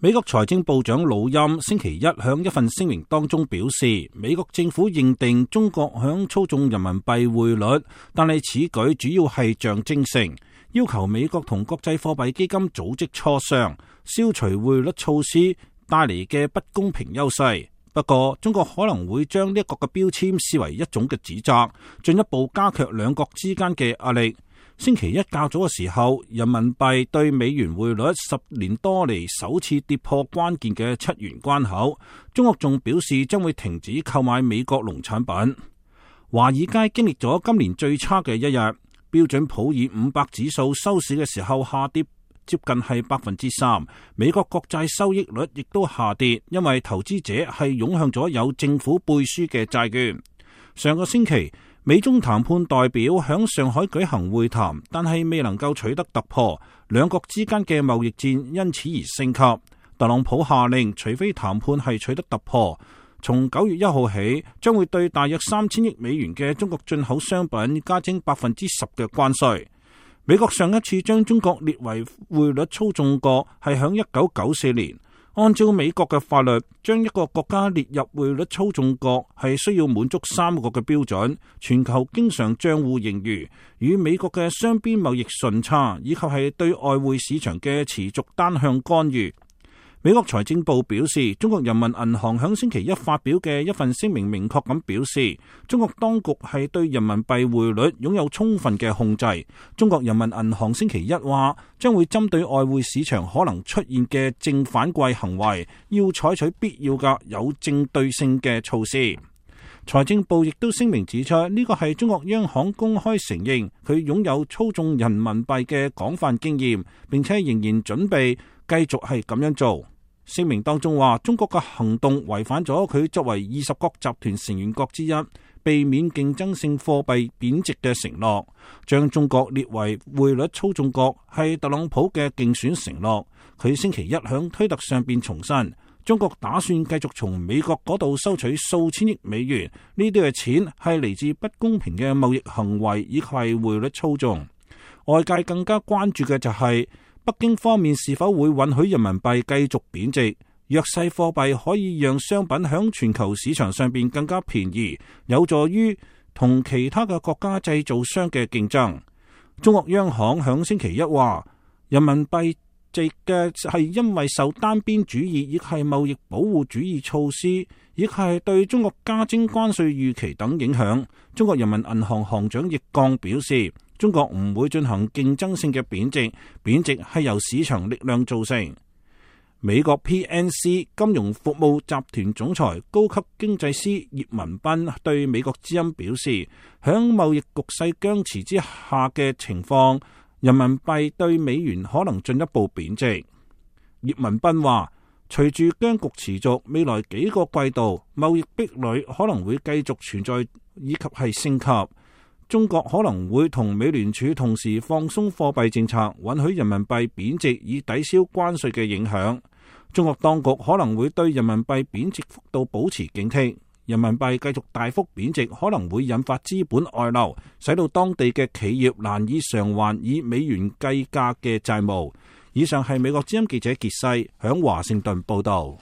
美國財政部長魯欽星期一響一份聲明當中表示，美國政府認定中國響操縱人民幣匯率，但係此舉主要係象徵性，要求美國同國際貨幣基金組織磋商，消除匯率措施帶嚟嘅不公平優勢。不過，中國可能會將呢一個嘅標籤視為一種嘅指責，進一步加劇兩國之間嘅壓力。星期一較早嘅時候，人民幣對美元匯率10年多嚟首次跌破關鍵嘅7元關口。中國仲表示將會停止購買美國農產品。華爾街經歷咗今年最差嘅一日，標準普爾500指數收市嘅時候下跌接近係3%。美國國債收益率亦都下跌，因為投資者係湧向咗有政府背書嘅債券。上個星期，美中談判代表響上海舉行會談，但係未能夠取得突破，兩國之間嘅貿易戰因此而升級。特朗普下令，除非談判係取得突破，從9月1號起，將會對大約3000億美元嘅中國進口商品加徵10%嘅關稅。美國上一次將中國列為匯率操縱國係響1994年。按照美國嘅法律，將一個國家列入匯率操縱國係需要滿足3個嘅標準：全球經常賬戶盈餘、與美國嘅雙邊貿易順差，以及係對外匯市場嘅持續單向干預。美國財政部表示，中國人民銀行響星期一發表嘅一份聲明明確咁表示，中國當局係對人民幣匯率擁有充分嘅控制。中國人民銀行星期一話，將會針對外匯市場可能出現嘅正反饋行為，要採取必要嘅有正對性嘅措施。財政部亦都聲明指出，呢個係中國央行公開承認佢擁有操縱人民幣嘅廣泛經驗，並且仍然準備繼續係咁樣做。聲明當中話，中國嘅行動違反咗佢作為20國集團成員國之一，避免競爭性貨幣貶值嘅承諾。將中國列為匯率操縱國係特朗普嘅競選承諾。佢星期一響推特上邊重申，中國打算繼續從美國嗰度收取數千億美元，呢啲嘅錢係嚟自不公平嘅貿易行為以及係匯率操縱。外界更加關注嘅就係北京方面是否會允許人民幣繼續貶值？弱勢貨幣可以讓商品響全球市場上邊更加便宜，有助於同其他嘅國家製造商嘅競爭。中國央行響星期一話，人民幣值嘅係因為受單邊主義亦係貿易保護主義措施，亦係對中國加徵關稅預期等影響。中國人民銀行行長易綱表示，中國唔會進行競爭性嘅貶值，貶值係由市場力量造成。美國 PNC 金融服務集團總裁高級經濟師葉文斌對美國之音表示，響貿易局勢僵持之下嘅情況，人民幣對美元可能進一步貶值。葉文斌話，隨住僵局持續，未來幾個季度貿易壁壘可能會繼續存在以及係升級。中國可能會同美聯儲同時放鬆貨幣政策，允許人民幣貶值以抵消關稅嘅影響。中國當局可能會對人民幣貶值幅度保持警惕。人民幣繼續大幅貶值，可能會引發資本外流，使到當地嘅企業難以償還以美元計價嘅債務。以上係美國之音記者傑西響華盛頓報道。